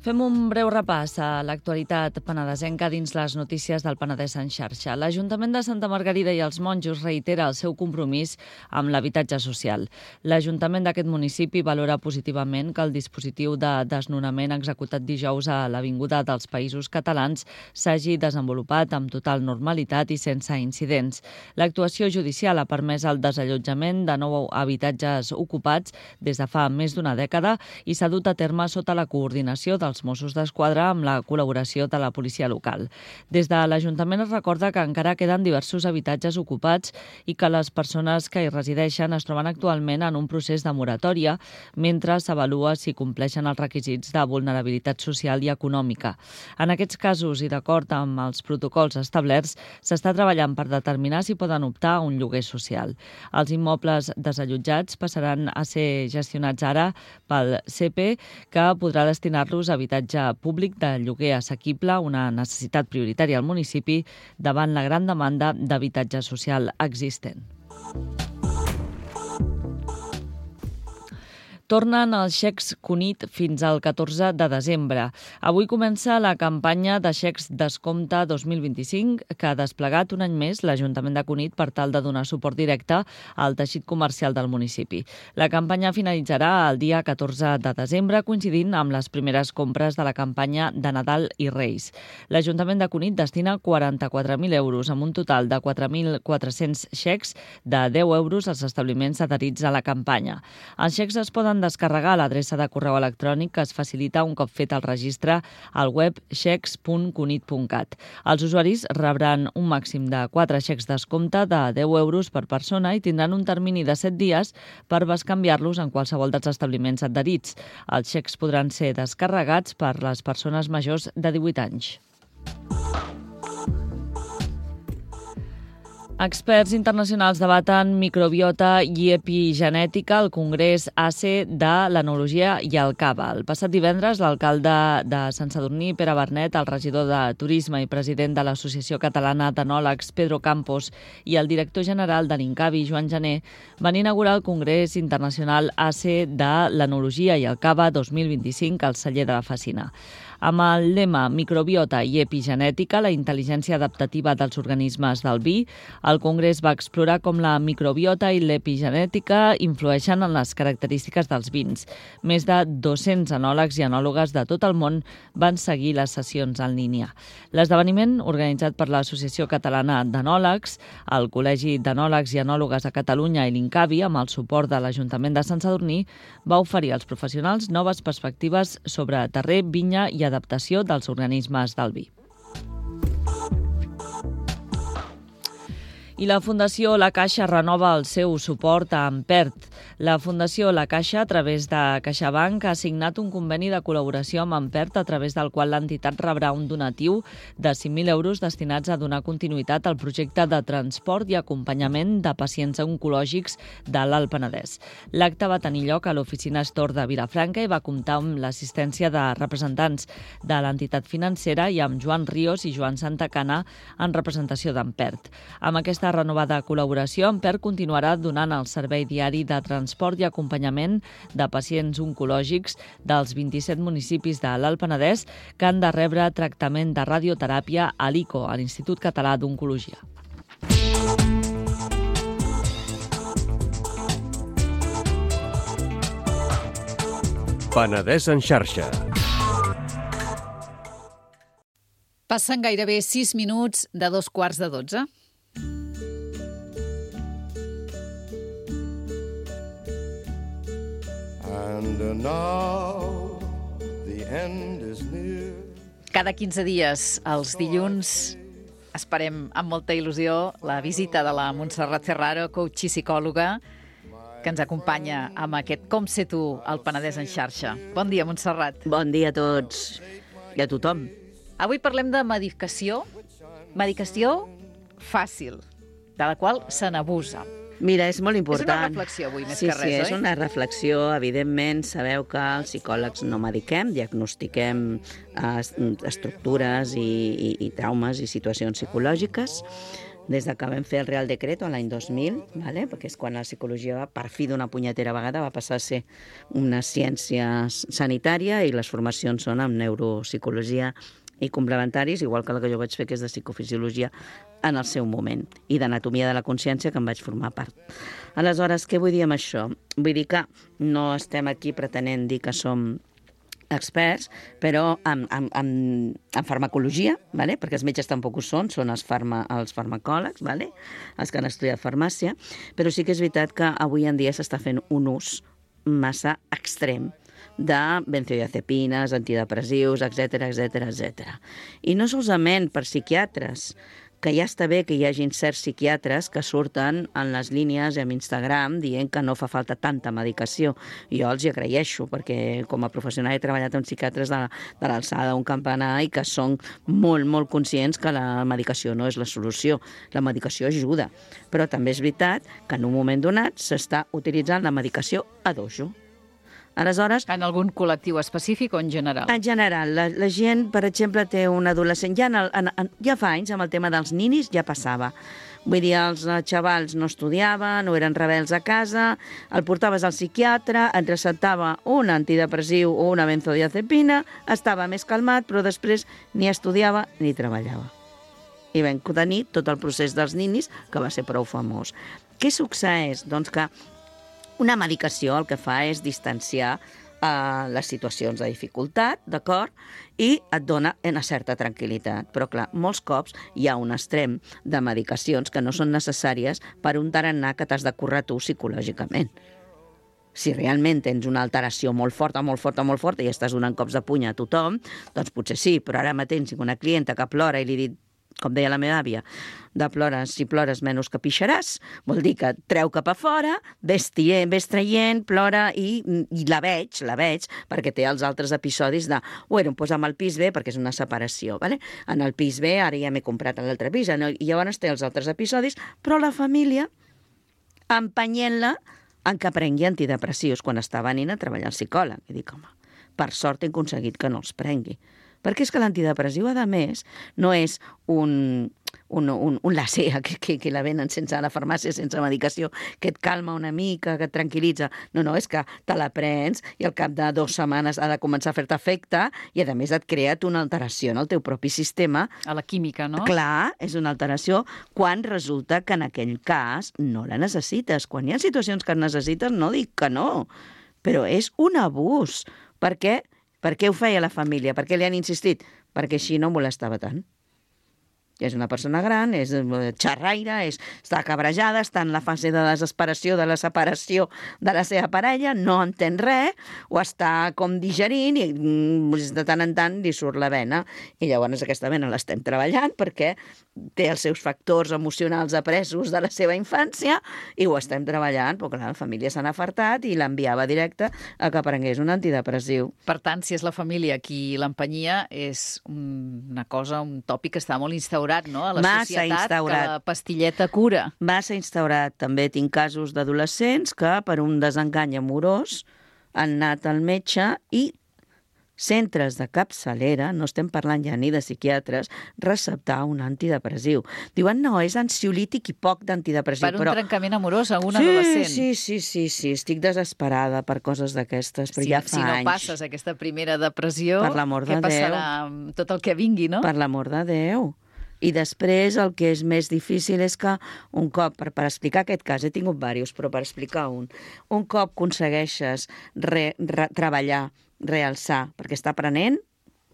Fem un breu repàs a l'actualitat penedesenca dins les notícies del Penedès en xarxa. L'Ajuntament de Santa Margarida i els Monjos reitera el seu compromís amb l'habitatge social. L'Ajuntament d'aquest municipi valora positivament que el dispositiu de desnonament executat dijous a l'Avinguda dels Països Catalans s'hagi desenvolupat amb total normalitat i sense incidents. L'actuació judicial ha permès el desallotjament de nou habitatges ocupats des de fa més d'una dècada i s'ha dut a terme sota la coordinació dels Mossos d'Esquadra amb la col·laboració de la policia local. Des de l'Ajuntament es recorda que encara queden diversos habitatges ocupats i que les persones que hi resideixen es troben actualment en un procés de moratòria mentre s'avalua si compleixen els requisits de vulnerabilitat social i econòmica. En aquests casos i d'acord amb els protocols establerts, s'està treballant per determinar si poden optar a un lloguer social. Els immobles desallotjats passaran a ser gestionats ara pel C E P, que podrà destinar-los a habitatge públic de lloguer assequible, una necessitat prioritària al municipi davant la gran demanda d'habitatge social existent. Tornen els xecs Cunit fins al catorze de desembre. Avui comença la campanya de xecs Descompte dos mil vint-i-cinc, que ha desplegat un any més l'Ajuntament de Cunit per tal de donar suport directe al teixit comercial del municipi. La campanya finalitzarà el dia catorze de desembre, coincidint amb les primeres compres de la campanya de Nadal i Reis. L'Ajuntament de Cunit destina quaranta-quatre mil euros, amb un total de quatre mil quatre-cents xecs de deu euros als establiments adherits a la campanya. Els xecs es poden descarregar a l'adreça de correu electrònic que es facilita un cop fet el registre al web xecs punt cunit punt cat. Els usuaris rebran un màxim de quatre xecs descompte de deu euros per persona i tindran un termini de set dies per bescanviar-los en qualsevol dels establiments adherits. Els xecs podran ser descarregats per les persones majors de divuit anys. Experts internacionals debaten microbiota i epigenètica al Congrés A C E de l'Enologia i el Cava. El passat divendres, l'alcalde de Sant Sadurní, Pere Bernet, el regidor de Turisme i president de l'Associació Catalana d'Enòlegs, Pedro Campos, i el director general de l'Incavi, Joan Gené, van inaugurar el Congrés Internacional A C E de l'Enologia i el Cava dos mil vint-i-cinc al celler de la Facina. Amb el lema Microbiota i epigenètica, la intel·ligència adaptativa dels organismes del vi, el Congrés va explorar com la microbiota i l'epigenètica influeixen en les característiques dels vins. Més de dos-cents enòlegs i enòlogues de tot el món van seguir les sessions en línia. L'esdeveniment, organitzat per l'Associació Catalana d'Enòlegs, el Col·legi d'Enòlegs i Enòlogues a Catalunya i l'Incavi, amb el suport de l'Ajuntament de Sant Sadurní, va oferir als professionals noves perspectives sobre terrer, vinya i adaptació dels organismes del vi. I la Fundació La Caixa renova el seu suport a Ampert. La Fundació La Caixa, a través de CaixaBank, ha signat un conveni de col·laboració amb Ampert, a través del qual l'entitat rebrà un donatiu de cinc mil euros destinats a donar continuïtat al projecte de transport i acompanyament de pacients oncològics de l'Alt Penedès. L'acte va tenir lloc a l'oficina Astor de Vilafranca i va comptar amb l'assistència de representants de l'entitat financera i amb Joan Ríos i Joan Santacana en representació d'Ampert. Amb aquesta renovada col·laboració, Ampert continuarà donant el servei diari de transport i acompanyament de pacients oncològics dels vint-i-set municipis de l'Alt Penedès que han de rebre tractament de radioteràpia a l'I C O, a l'Institut Català d'Oncologia. Penedès en xarxa. Passen gairebé sis minuts de dos quarts de dotze. Penedès en xarxa. Now the end is near. Cada quinze dies, els dilluns, esperem amb molta il·lusió la visita de la Montserrat Ferraro, coach i psicòloga, que ens acompanya amb aquest Com sé tu, al Penedès en xarxa. Bon dia, Montserrat. Bon dia a tots i a tothom. Avui parlem de medicació, medicació fàcil, de la qual se n'abusa. Mira, és molt És important. una reflexió avui, més sí, que res, sí, oi? és una reflexió. Evidentment, sabeu que els psicòlegs no mediquem, diagnostiquem eh, estructures i, i, i traumes i situacions psicològiques. Des de que vam fer el Real Decreto l'any dos mil, vale? Perquè és quan la psicologia va, per fi d'una punyetera vegada, va passar a ser una ciència sanitària i les formacions són en neuropsicologia i complementaris, igual que la que jo vaig fer, que és de psicofisiologia en el seu moment, i d'anatomia de la consciència, que en vaig formar part. Aleshores, què vull dir amb això? Vull dir que no estem aquí pretenent dir que som experts, però en, en, en, en farmacologia, vale? Perquè els metges tampoc ho són, són els, farma, els farmacòlegs, vale? Els que han estudiat farmàcia, però sí que és veritat que avui en dia s'està fent un ús massa extrem de benzodiazepines, antidepressius, etcètera, etcètera, etcètera. I no solament per psiquiatres, que ja està bé que hi hagin certs psiquiatres que surten en les línies i en Instagram dient que no fa falta tanta medicació. Jo els hi agraeixo, perquè com a professional he treballat amb psiquiatres de, de l'alçada d'un campanar i que són molt, molt conscients que la medicació no és la solució. La medicació ajuda, però també és veritat que en un moment donat s'està utilitzant la medicació a dojo. Aleshores, en algun col·lectiu específic o en general? En general, la, la gent, per exemple, té un adolescent, ja, en el, en, en, ja fa anys, amb el tema dels ninis, ja passava. Vull dir, els xavals no estudiaven, no eren rebels a casa, el portaves al psiquiatre, et receptava un antidepressiu o una benzodiazepina, estava més calmat, però després ni estudiava ni treballava. I vam tenir tot el procés dels ninis, que va ser prou famós. Què succeeix? Doncs que una medicació el que fa és distanciar eh, les situacions de dificultat, d'acord? I et dona una certa tranquil·litat. Però, clar, molts cops hi ha un extrem de medicacions que no són necessàries per un tarannà que t'has de currar tu psicològicament. Si realment tens una alteració molt forta, molt forta, molt forta i estàs donant cops de puny a tothom, doncs potser sí, però ara mateix tinc una clienta que plora i li dic, com deia la meva àvia, de plores, si plores menys que pixaràs, vol dir que treu cap a fora, ves, tient, ves traient, plora i, i la veig, la veig, perquè té els altres episodis de, bueno, doncs amb el pis B, perquè és una separació, vale? En el pis B, ara ja m'he comprat l'altre pis, no? I llavors té els altres episodis, però la família empenyent-la en que prengui antidepressius quan està venint a treballar al psicòleg. I dic, home, per sort he aconseguit que no els prengui. Perquè és que l'antidepressiu, a més, no és un, un, un, un lacea que, que, que la venen sense a la farmàcia, sense medicació, que et calma una mica, que et tranquil·litza. No, no, és que te la prens i al cap de dues setmanes ha de començar a fer-te efecte i, a més, et crea una alteració en el teu propi sistema. A la química, no? Clar, és una alteració quan resulta que en aquell cas no la necessites. Quan hi ha situacions que necessites, no dic que no, però és un abús. Per què? Per què ho feia la família? Per què li han insistit? Perquè així no molestava tant. És una persona gran, és xerraire, és, està cabrejada, està en la fase de desesperació de la separació de la seva parella, no entén res, o està com digerint i de tant en tant li surt la vena. I llavors aquesta vena l'estem treballant perquè té els seus factors emocionals apresos de la seva infància i ho estem treballant, perquè la família se n'ha afartat i l'enviava directe a que prengués un antidepressiu. Per tant, si és la família qui l'empenyia, és una cosa, un tòpic que està molt instaurat, no? A la Massa societat, instaurat. que la pastilleta cura. Massa instaurat. També tinc casos d'adolescents que per un desengany amorós han anat al metge i centres de capçalera, no estem parlant ja ni de psiquiatres, receptar un antidepressiu. Diuen, no, és ansiolític i poc d'antidepressiu. Per un però... trencament amorós a un sí, adolescent. Sí, sí, sí, sí, estic desesperada per coses d'aquestes, però si, ja fa si no anys. passes aquesta primera depressió, Per l'amor de què passarà amb tot el que vingui, no? Per l'amor de Déu. I després el que és més difícil és que un cop, per, per explicar aquest cas, he tingut diversos, però per explicar un, un cop aconsegueixes re, re, treballar, realçar, perquè està prenent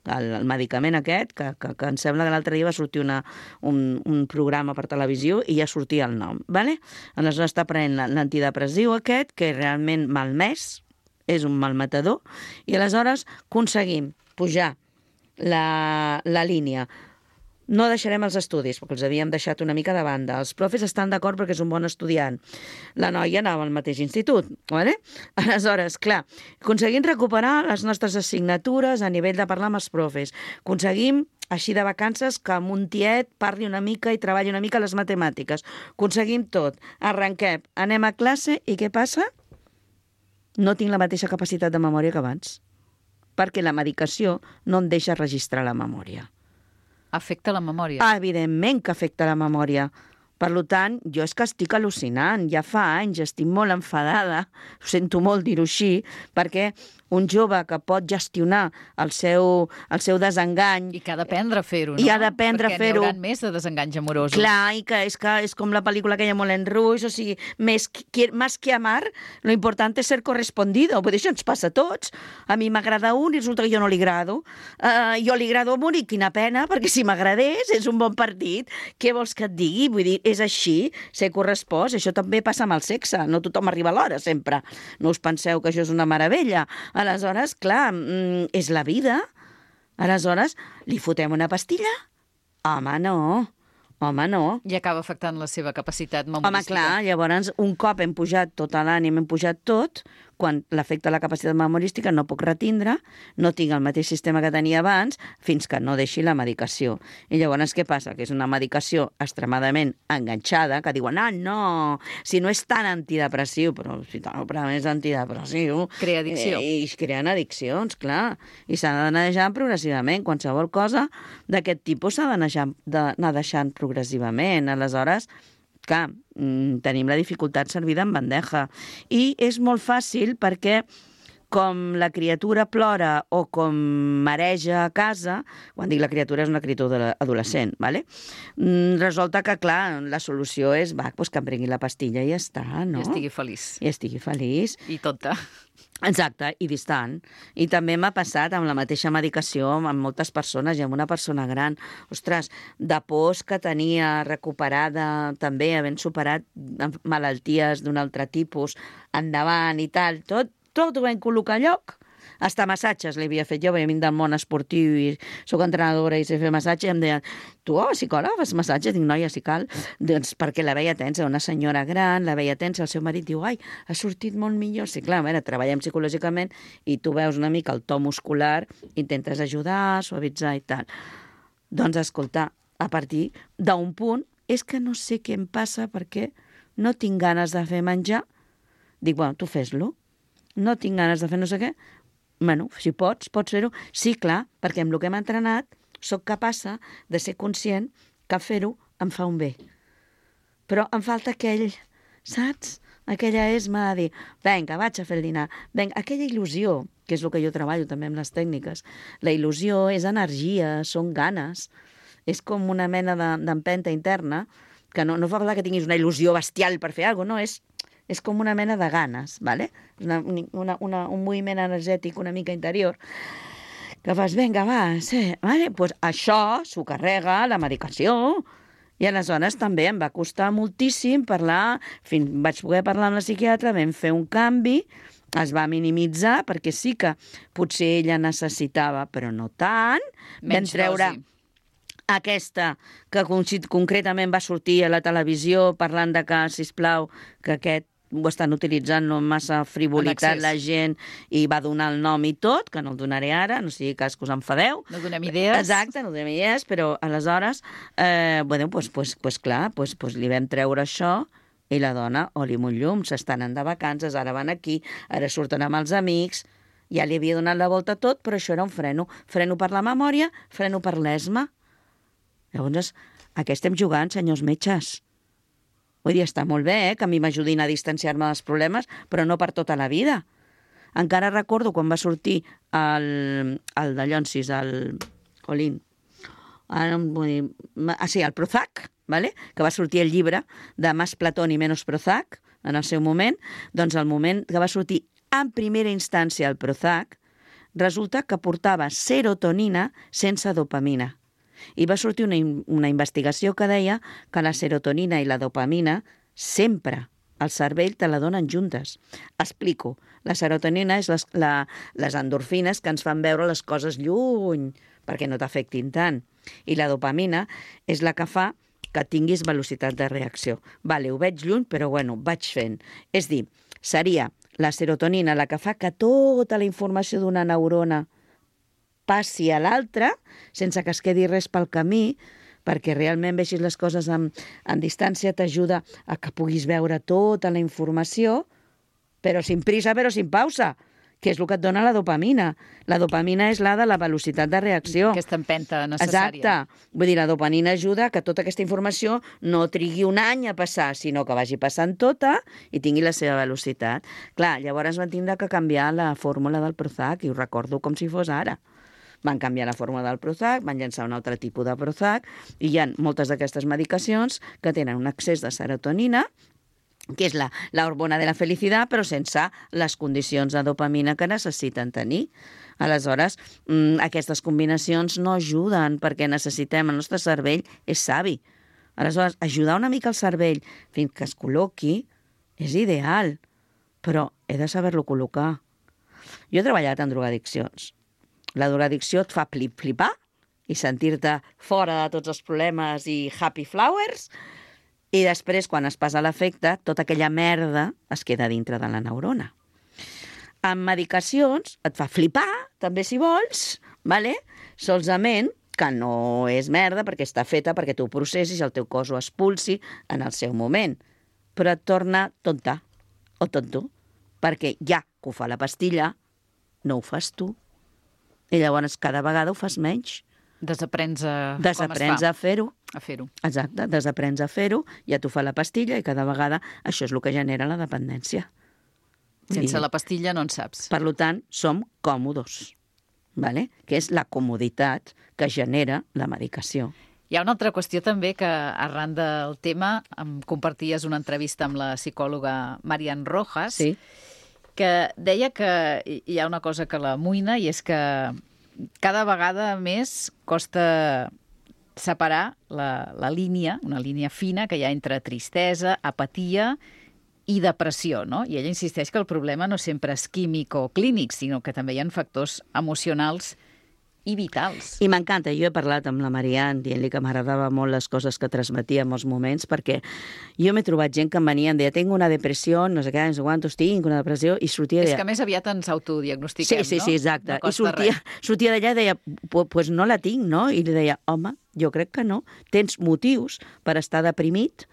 el, el medicament aquest, que, que, que em sembla que l'altre dia va sortir una, un, un programa per televisió i ja sortia el nom, ¿vale? Aleshores està prenent l'antidepressiu aquest, que realment malmès, és un malmatador, i aleshores aconseguim pujar la, la línia. No deixarem els estudis, perquè els havíem deixat una mica de banda. Els profes estan d'acord perquè és un bon estudiant. La noia anava al mateix institut, ¿vale? Aleshores, clar, aconseguim recuperar les nostres assignatures a nivell de parlar amb els profes. Aconseguim, així de vacances, que un tiet parli una mica i treballi una mica les matemàtiques. Aconseguim tot. Arrenquem, anem a classe i què passa? No tinc la mateixa capacitat de memòria que abans, perquè la medicació no em deixa registrar la memòria. Afecta la memòria. Ah, evidentment que afecta la memòria. Per tant, jo és que estic al·lucinant. Ja fa anys, estic molt enfadada, ho sento molt dir-ho així, perquè un jove que pot gestionar el seu, el seu desengany... I que ha d'aprendre a fer-ho, no? I ha d'aprendre a fer-ho. Perquè n'hi haurà més de desenganys amorosos. Clar, i que és, que és com la pel·lícula aquella Moulin Rouge, o sigui, més que, más que amar, lo importante es ser correspondido. Vull dir, això ens passa a tots. A mi m'agrada un i resulta que jo no li agrado. Uh, jo li agrado a un i quina pena, perquè si m'agradés és un bon partit. Què vols que et digui? Vull dir, és així, ser correspost. Això també passa amb el sexe. No tothom arriba a l'hora, sempre. No us penseu que això és una meravella. Aleshores, clar, és la vida. Aleshores, li fotem una pastilla? Home, no. Home, no. I acaba afectant la seva capacitat memorística. Home, clar, llavors, un cop hem pujat tot l'ànim, hem pujat tot, quan l'afecta la capacitat memorística no puc retindre, no tinc el mateix sistema que tenia abans, fins que no deixi la medicació. I llavors què passa? Que és una medicació extremadament enganxada, que diuen, ah, no, si no és tan antidepressiu, però si no, però és antidepressiu... Crea addicció. Eh, I creen addiccions, clar. I s'ha d'anar deixant progressivament. Qualsevol cosa d'aquest tipus s'ha d'anar deixant progressivament. Aleshores, clar, tenim la dificultat servida en bandeja. I és molt fàcil perquè com la criatura plora o com mareja a casa, quan dic la criatura és una criatura adolescent, ¿vale? Resulta que, clar, la solució és, va, doncs que em prengui la pastilla i ja està, no? I estigui feliç. I estigui feliç. I tonta. Exacte, i distant. I també m'ha passat amb la mateixa medicació amb moltes persones i amb una persona gran. Ostres, de pors que tenia recuperada, també havent superat malalties d'un altre tipus, endavant i tal, tot, tot ho vam col·locar a lloc. Hasta massatges li havia fet jo, perquè vinc del món esportiu i soc entrenadora i sé fer massatge, i em deien, tu, oh, psicòloga, fas massatge? Dic, noia, si cal. Doncs perquè la veia tensa, una senyora gran, la veia tensa, el seu marit diu, ai, ha sortit molt millor. Sí, clar, a veure, treballem psicològicament i tu veus una mica el to muscular, intentes ajudar, suavitzar i tal. Doncs, escolta, a partir d'un punt, és que no sé què em passa perquè no tinc ganes de fer menjar. Dic, bueno, tu fes-lo. No tinc ganes de fer no sé què. Bueno, si pots, pots fer-ho. Sí, clar, perquè amb el que hem entrenat sóc capaça de ser conscient que fer-ho em fa un bé. Però em falta aquell, saps? Aquella esma de dir, vinga, vaig a fer el dinar. Vinga, aquella il·lusió, que és el que jo treballo també amb les tècniques. La il·lusió és energia, són ganes. És com una mena d'empenta interna, que no, no fa falta que tinguis una il·lusió bestial per fer alguna cosa, no, és... és com una mena de ganes, ¿vale? Una, una, una, un moviment energètic una mica interior, que fas, vinga, va, sí, vale? Pues això s'ho carrega la medicació. I aleshores també em va costar moltíssim parlar, fins vaig poder parlar amb la psiquiatra, vam fer un canvi, es va minimitzar, perquè sí que potser ella necessitava, però no tant, vam treure... Aquesta, que concretament va sortir a la televisió parlant de que, sisplau, que aquest ho estan utilitzant amb massa frivolitat la gent i va donar el nom i tot, que no el donaré ara, no sigui cas que us enfadeu. No donem idees. Exacte, no donem idees, però aleshores, eh, bueno, pues, pues, pues clar, pues, pues li vam treure això i la dona, oli molt llum, s'estan anant de vacances, ara van aquí, ara surten amb els amics, ja li havia donat la volta a tot, però això era un freno. Freno per la memòria, freno per l'esma. Llavors, a què estem jugant, senyors metges? Vull dir, està molt bé, eh, que a mi m'ajudin a distanciar-me dels problemes, però no per tota la vida. Encara recordo quan va sortir el, el de Llonsis, el Colín, ara no vull dir, ah, sí, el Prozac, ¿vale? Que va sortir el llibre de Más Platón i menos Prozac, en el seu moment, doncs el moment que va sortir en primera instància el Prozac, resulta que portava serotonina sense dopamina. I va sortir una, una investigació que deia que la serotonina i la dopamina sempre el cervell te la donen juntes. Explico. La serotonina és les, la, les endorfines que ens fan veure les coses lluny perquè no t'afectin tant. I la dopamina és la que fa que tinguis velocitat de reacció. Vale, ho veig lluny, però bueno, vaig fent. És dir, seria la serotonina la que fa que tota la informació d'una neurona passi a l'altra sense que es quedi res pel camí, perquè realment vegis les coses en, en distància t'ajuda a que puguis veure tota la informació, però sin prisa, però sin pausa, que és el que et dona la dopamina. La dopamina és la de la velocitat de reacció. Aquesta empenta necessària. Exacte. Vull dir, la dopamina ajuda que tota aquesta informació no trigui un any a passar, sinó que vagi passant tota i tingui la seva velocitat. Clar, llavors van tindre que canviar la fórmula del Prozac, i ho recordo com si fos ara. Van canviar la fórmula del Prozac, van llançar un altre tipus de Prozac, i hi ha moltes d'aquestes medicacions que tenen un excés de serotonina, que és la, la hormona de la felicitat, però sense les condicions de dopamina que necessiten tenir. Aleshores, mmm, aquestes combinacions no ajuden, perquè necessitem, el nostre cervell és savi. Aleshores, ajudar una mica el cervell fins que es col·loqui és ideal, però he de saber-lo col·locar. Jo he treballat en drogadiccions. La drogadicció et fa flip-flipar i sentir-te fora de tots els problemes i happy flowers, i després, quan es passa l'efecte, tota aquella merda es queda dintre de la neurona. Amb medicacions et fa flipar, també si vols, vale? Solament que no és merda perquè està feta perquè tu ho processis i el teu cos ho expulsi en el seu moment. Però et torna tonta o tonto, perquè ja que ho fa la pastilla, no ho fas tu. I llavors cada vegada ho fas menys. Desaprens a Desaprens a fer-ho. A fer-ho. Exacte, desaprens a fer-ho, ja t'ho fa la pastilla i cada vegada això és el que genera la dependència. Sense I, la pastilla no en saps. Per tant, som còmodos, vale? Que és la comoditat que genera la medicació. Hi ha una altra qüestió també que, arran del tema, em comparties una entrevista amb la psicòloga Marian Rojas, Sí. que deia que hi ha una cosa que l'amoïna, i és que cada vegada més costa separar la, la línia, una línia fina que hi ha entre tristesa, apatia i depressió, no? I ella insisteix que el problema no sempre és químic o clínic, sinó que també hi ha factors emocionals i vitals. I m'encanta, jo he parlat amb la Marian dient-li que m'agradava molt les coses que transmetia en molts moments, perquè jo m'he trobat gent que em venia i em deia tengo una depressió, no sé què, no sé quantos, tinc una depressió, i sortia... És deia... que més aviat ens autodiagnostiquem, sí, sí, no? Sí, exacte. No I sortia, sortia d'allà i deia, pues no la tinc, no? I li deia, home, jo crec que no. Tens motius per estar deprimit,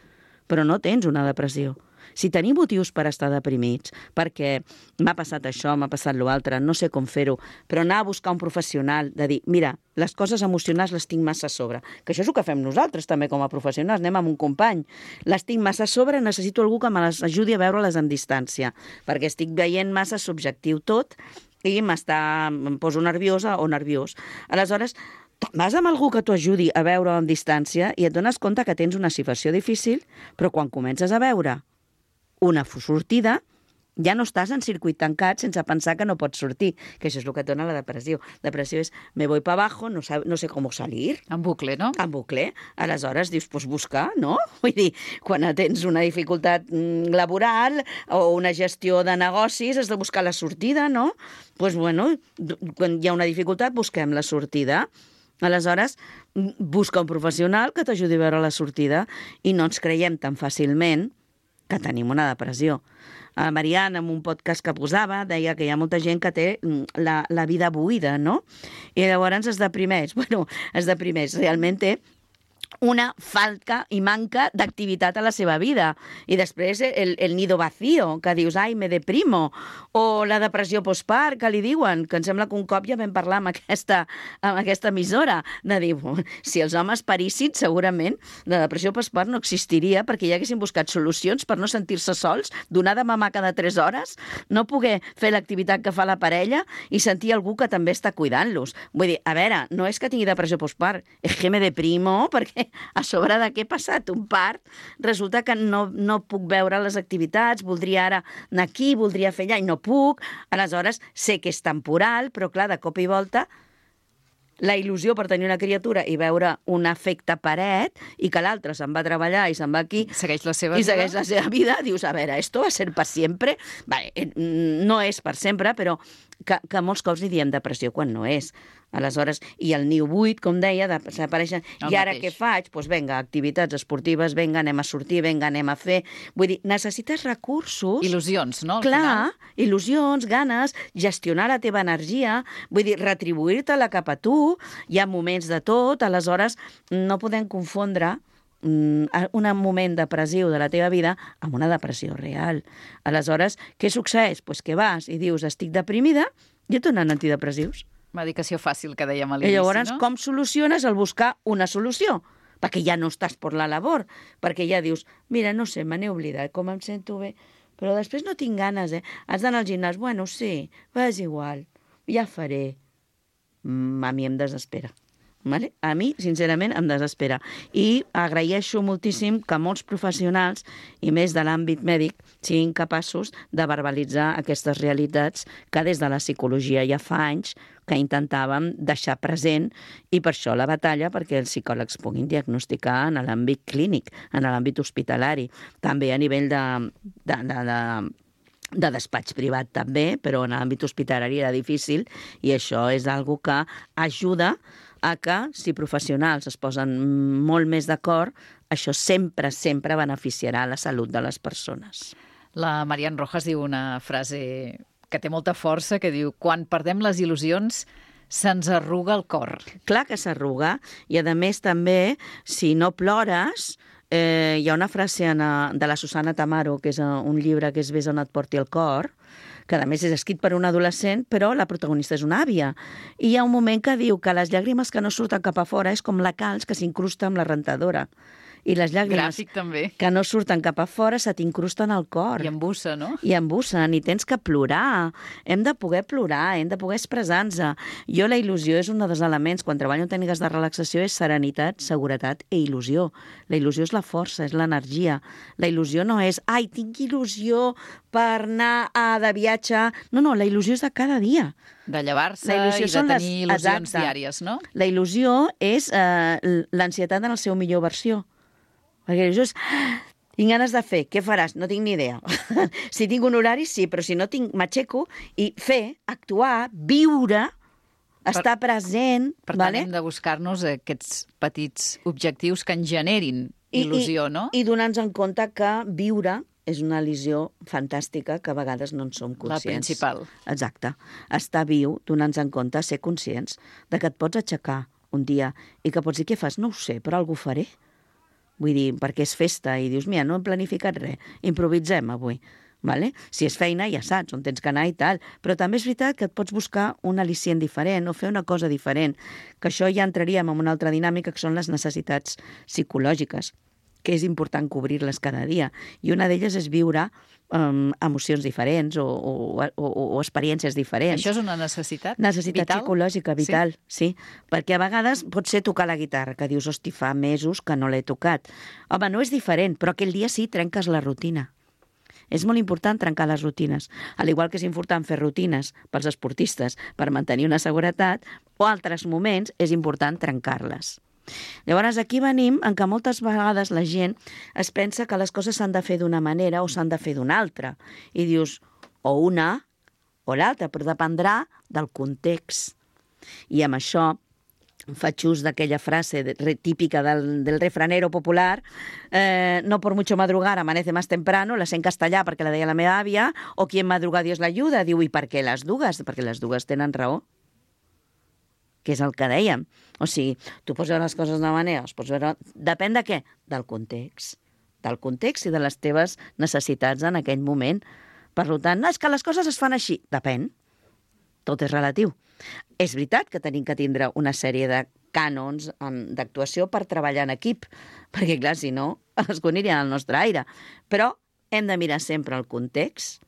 però no tens una depressió. Si tenim motius per estar deprimits, perquè m'ha passat això, m'ha passat l'altre, no sé com fer-ho, però anar a buscar un professional, de dir, mira, les coses emocionals les tinc massa a sobre, que això és el que fem nosaltres també com a professionals, anem amb un company, les tinc massa a sobre, necessito algú que me les ajudi a veure-les en distància, perquè estic veient massa subjectiu tot i m'està, em poso nerviosa o nerviós. Aleshores, vas amb algú que t'ho ajudi a veure en distància i et dones compte que tens una situació difícil, però quan comences a veure una sortida, ja no estàs en circuit tancat sense pensar que no pots sortir, que això és el que et dona la depressió. La depressió és, me voy para abajo, no, sab, no sé com salir. En bucle, no? En bucle. Aleshores dius, pues buscar, no? Vull dir, quan tens una dificultat laboral o una gestió de negocis, has de buscar la sortida, no? Doncs, pues, bueno, quan hi ha una dificultat, busquem la sortida. Aleshores, busca un professional que t'ajudi a veure la sortida i no ens creiem tan fàcilment que tenim una depressió. A Marian, en un podcast que posava, deia que hi ha molta gent que té la, la vida buida, no? I llavors es deprimeix. Bueno, es deprimeix. Realment té una falta i manca d'activitat a la seva vida. I després el, el nido vacío, que dius, ai, me deprimo, o la depressió postpart, que li diuen, que em sembla que un cop ja vam parlar amb aquesta, amb aquesta emissora, de dir, si els homes parissin, segurament la depressió postpart no existiria perquè ja haguessin buscat solucions per no sentir-se sols, donar de mamar cada tres hores, no poder fer l'activitat que fa la parella i sentir algú que també està cuidant-los. Vull dir, a veure, no és que tingui depressió postpart, és que me deprimo perquè a sobre de què he passat un part, resulta que no, no puc veure les activitats, voldria ara anar aquí, voldria fer allà i no puc, aleshores sé que és temporal, però clar, de cop i volta la il·lusió per tenir una criatura i veure un efecte paret i que l'altre se'n va a treballar i se'n va aquí Segueix la seva i vida. segueix la seva vida, dius, a veure, esto va a ser per sempre? Vale, no és per sempre, però que, que molts cops li diem depressió quan no és. Aleshores, i el niu buit, com deia, desapareixen. El I ara mateix. què faig? Doncs pues vinga, activitats esportives, vinga, anem a sortir, vinga, anem a fer... Vull dir, necessites recursos... Il·lusions, no? Al Clar, final. il·lusions, ganes, gestionar la teva energia, vull dir, retribuir-te-la cap a tu, hi ha moments de tot, aleshores no podem confondre mm, un moment depressiu de la teva vida amb una depressió real. Aleshores, què succeeix? Pues que vas i dius, estic deprimida, i et donen antidepressius. Medicació fàcil, que dèiem a I l'inici, llavors, no? com soluciones el buscar una solució? Perquè ja no estàs per la labor, perquè ja dius, mira, no sé, me n'he oblidat, com em sento bé, però després no tinc ganes, eh? Has d'anar al gimnàs, bueno, sí, va, és igual, ja faré. Mm, a mi em desespera. Vale? A mi, sincerament, em desespera. I agraeixo moltíssim que molts professionals, i més de l'àmbit mèdic, siguin capaços de verbalitzar aquestes realitats que des de la psicologia ja fa anys que intentàvem deixar present, i per això la batalla perquè els psicòlegs puguin diagnosticar en l'àmbit clínic, en l'àmbit hospitalari, també a nivell de, de, de, de de despatx privat també, però en l'àmbit hospitalari era difícil, i això és algo que ajuda a que, si professionals es posen molt més d'acord, això sempre, sempre beneficiarà la salut de les persones. La Marian Rojas diu una frase que té molta força, que diu: quan perdem les il·lusions, se'ns arruga el cor. Clar que s'arruga, i a més també, si no plores, eh, hi ha una frase en, de la Susana Tamaro, que és un llibre que és Ves on et porti el cor, que a més és escrit per un adolescent, però la protagonista és una àvia. I hi ha un moment que diu que les llàgrimes que no surten cap a fora és com la calç que s'incrusta amb la rentadora. I les llàgrimes Gràfic, també. que no surten cap a fora se t'incrusten al cor. I embussa, no? I embussen, i tens que plorar. Hem de poder plorar, hem de poder expressar-nos. Jo, la il·lusió és un dels elements, quan treballo en tècniques de relaxació, és serenitat, seguretat i il·lusió. La il·lusió és la força, és l'energia. La il·lusió no és, ai, tinc il·lusió per anar a, de viatge. No, no, la il·lusió és de cada dia. De llevar-se La i il·lusió de són les- tenir il·lusions exacte. diàries, no? La il·lusió és eh, l'ansietat en la seva millor versió. Perquè la il·lusió és... Tinc ganes de fer, què faràs? No tinc ni idea. Si tinc un horari, sí, però si no tinc, m'aixeco i fer, actuar, viure, estar present... Per tant, vale? hem de buscar-nos aquests petits objectius que ens generin il·lusió, I, no? I donar-nos en compte que viure és una il·lusió fantàstica que a vegades no en som La conscients. principal. Exacte. Estar viu, donant-nos en compte, ser conscients de que et pots aixecar un dia i que pots dir, què fas? No ho sé, però algú faré. Vull dir, perquè és festa i dius, mira, no hem planificat res, improvisem avui. Vale? Si és feina, ja saps on tens que anar i tal. Però també és veritat que et pots buscar un al·licient diferent o fer una cosa diferent, que això ja entraríem en una altra dinàmica, que són les necessitats psicològiques, que és important cobrir-les cada dia. I una d'elles és viure um, emocions diferents o, o, o, o experiències diferents. Això és una necessitat Necessitat vital? psicològica, vital, sí. sí. Perquè a vegades pot ser tocar la guitarra, que dius, hosti, fa mesos que no l'he tocat. Home, no és diferent, però aquell dia sí trenques la rutina. És molt important trencar les rutines. Al igual que és important fer rutines pels esportistes per mantenir una seguretat, o altres moments és important trencar-les. Llavors, aquí venim en què moltes vegades la gent es pensa que les coses s'han de fer d'una manera o s'han de fer d'una altra. I dius, o una o l'altra, però dependrà del context. I amb això faig ús d'aquella frase de, típica del, del refranero popular, eh, no por mucho madrugar amanece más temprano, la sé en castellà perquè la deia la meva àvia, o quien madruga Dios l'ayuda. Diu, i per què les dues? Perquè les dues tenen raó, que és el que dèiem. O sigui, tu pots veure les coses d'una manera, es pots veure... Depèn de què? Del context. Del context i de les teves necessitats en aquell moment. Per tant, no, és que les coses es fan així. Depèn. Tot és relatiu. És veritat que tenim que tindre una sèrie de cànons d'actuació per treballar en equip, perquè, clar, si no, es anirien al nostre aire. Però hem de mirar sempre el context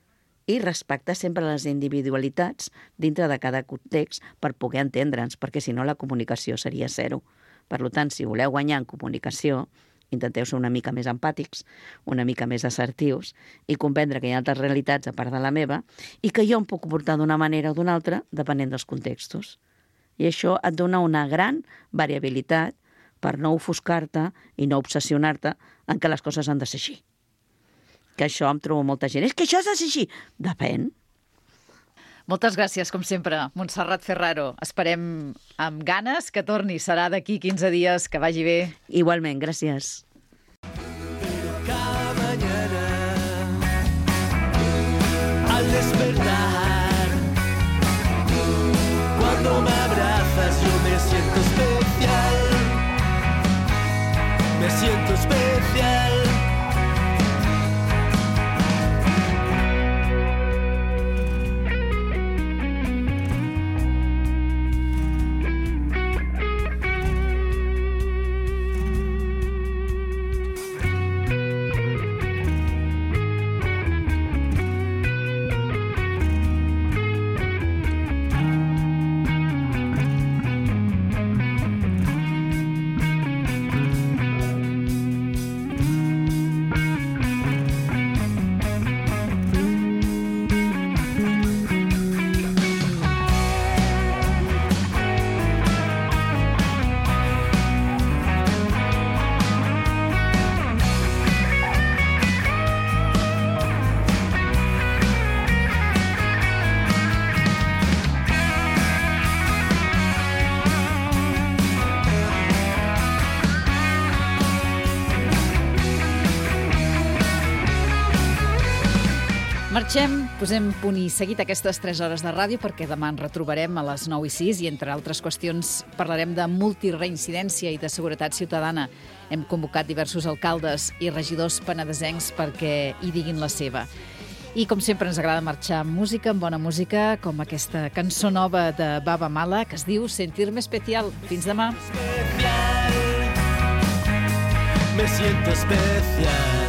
i respectar sempre les individualitats dintre de cada context per poder entendre'ns, perquè si no la comunicació seria zero. Per tant, si voleu guanyar en comunicació, intenteu ser una mica més empàtics, una mica més assertius i comprendre que hi ha altres realitats a part de la meva i que jo em puc comportar d'una manera o d'una altra depenent dels contextos. I això et dona una gran variabilitat per no ofuscar-te i no obsessionar-te en que les coses han de ser així. Que això em trobo molta gent. És que això ha de ser així. Depèn. Moltes gràcies, com sempre, Montserrat Ferraro. Esperem amb ganes que torni. Serà d'aquí quinze dies. Que vagi bé. Igualment, gràcies. Cada mañana al despertar, cuando me abrazas yo me siento especial, me siento especial. Marxem, posem punt i seguit aquestes tres hores de ràdio perquè demà ens retrobarem a les nou i sis i, entre altres qüestions, parlarem de multireincidència i de seguretat ciutadana. Hem convocat diversos alcaldes i regidors penedesencs perquè hi diguin la seva. I, com sempre, ens agrada marxar amb música, amb bona música, com aquesta cançó nova de Baba Mala, que es diu Sentirme Especial. Fins demà. Me siento especial.